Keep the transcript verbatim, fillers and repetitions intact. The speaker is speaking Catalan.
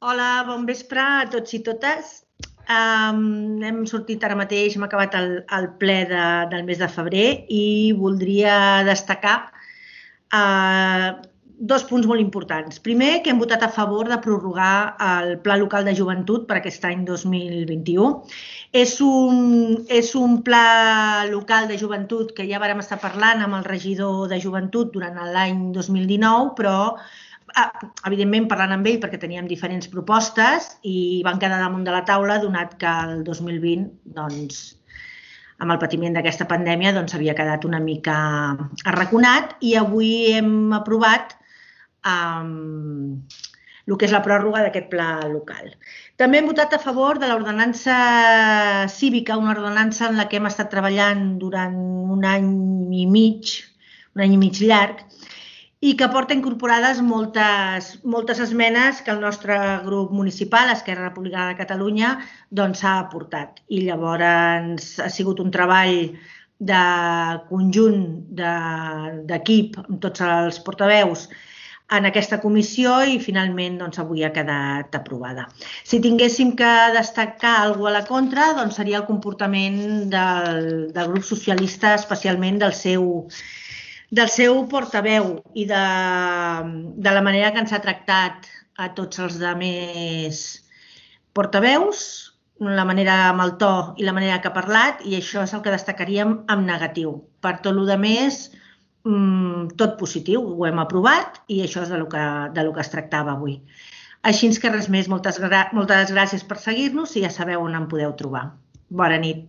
Hola, bon vespre a tots i totes. Um, hem sortit ara mateix, hem acabat el, el ple de, del mes de febrer i voldria destacar uh, dos punts molt importants. Primer, que hem votat a favor de prorrogar el Pla Local de Joventut per aquest any dos mil vint-i-u. És un, és un pla local de joventut que ja vàrem estar parlant amb el regidor de joventut durant l'any dos mil dinou, però evidentment parlant amb ell perquè teníem diferents propostes i van quedar damunt de la taula donat que el dos mil vint, doncs, amb el patiment d'aquesta pandèmia, doncs havia quedat una mica arraconat i avui hem aprovat um, el que és la pròrroga d'aquest pla local. També hem votat a favor de l'ordenança cívica, una ordenança en la que hem estat treballant durant un any i mig, un any i mig llarg, i que porta incorporades moltes, moltes esmenes que el nostre grup municipal, Esquerra Republicana de Catalunya, doncs s'ha aportat. I llavors ha sigut un treball de conjunt, d'equip, amb tots els portaveus en aquesta comissió i finalment doncs, avui ha quedat aprovada. Si tinguéssim que destacar alguna cosa a la contra, doncs seria el comportament del, del grup socialista, especialment del seu del seu portaveu i de, de la manera que ens ha tractat a tots els altres portaveus, la manera amb el to i la manera que ha parlat, i això és el que destacaríem en negatiu. Per tot el rest, tot positiu, ho hem aprovat i això és del que, del que es tractava avui. Així que res més, moltes, moltes gràcies per seguir-nos i ja sabeu on em podeu trobar. Bona nit.